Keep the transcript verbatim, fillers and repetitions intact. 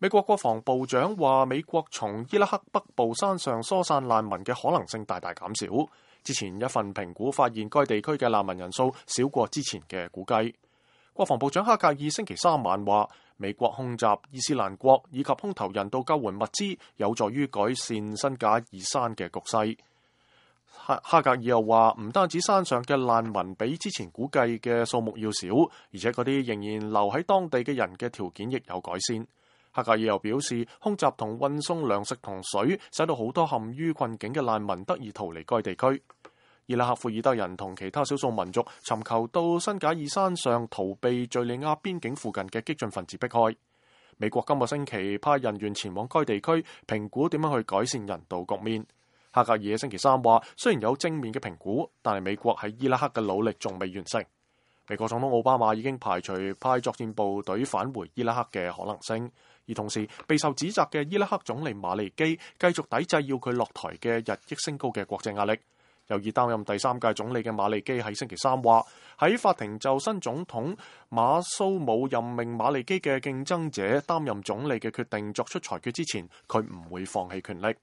美國國防部長話，美國從伊拉克北部山上疏散難民嘅可能性大大減少。之前一份評估發現，該地區嘅難民人數少過之前嘅估計。國防部長哈格爾星期三晚話，美國空襲伊斯蘭國以及空投人道救援物資，有助於改善新賈爾山嘅局勢。哈格爾又話，唔單止山上嘅難民比之前估計嘅數目要少，而且嗰啲仍然留喺當地嘅人嘅條件亦有改善。哈格爾又表示，空襲同運送糧食同水，使到好多陷於困境嘅難民得以逃離該地區。伊拉克庫爾德人同其他少數民族尋求到新賈爾山上逃避敘利亞邊境附近嘅激進分子迫害。美國今個星期派人員前往該地區評估點樣去改善人道局面。哈格爾星期三話，雖然有正面嘅評估，但係美國喺伊拉克嘅努力仲未完成。美國總統奧巴馬已經排除派作戰部隊返回伊拉克嘅可能性，而同時備受指責嘅伊拉克總理馬利基繼續抵制要佢落台嘅日益升高嘅國際壓力。有意擔任第三屆總理嘅馬利基喺星期三話，喺法庭就新總統馬蘇姆任命馬利基嘅競爭者擔任總理嘅決定作出裁決之前，佢唔會放棄權力。